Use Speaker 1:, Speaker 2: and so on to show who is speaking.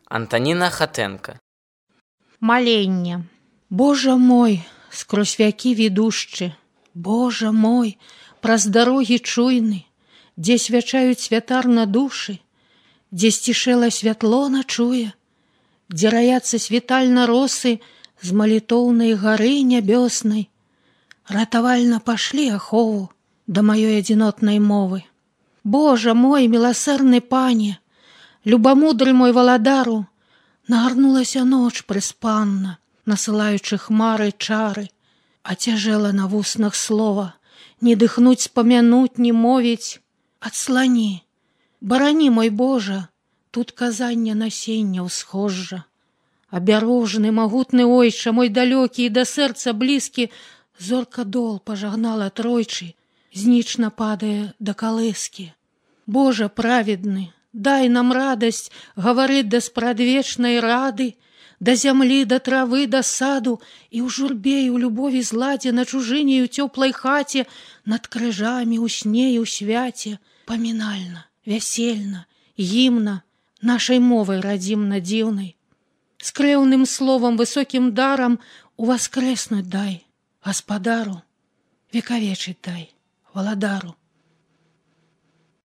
Speaker 1: Антаніна Хатэнка.
Speaker 2: Маленне. Божа мой, скрозь вякі відушчы, Божа мой, праз дарогі чуйны, дзе свячаюць святар на душы, дзе сцішэла святло начуе, дзе раяцца світальна росы з малітоўнай гары нябёснай. Ратавальна пашлі ахову да маёй адзінотнай мовы. Божа мой, міласэрны пане, любамудры мой валадару, нагарнулася ноч прыспанна, насылаючы хмары чары, а цяжэла на вуснах слова, не дыхнуць, спамянуць, не мовіць. Адслані, барані, мой Божа, тут казання насення ўсхожжа. Абярожны, магутны ойча, мой далёкі і да сэрца блізкі, зорка дол пажагнала тройчы, знічна падае да калыскі. Божа праведны, дай нам радасць гаварыць да спрадвечнай рады, да зямлі, да травы, да саду, і ў журбе і ў любові зладзе, на чужыне і ў цёплай хаце, над крыжамі, ў сне і ў свяце, памінальна, вясельна, гімна, нашай мовай радзімна дзіўнай. З крэўным словам, высокім дарам уваскрэснуць дай, гаспадару, векавечыць дай, валадару.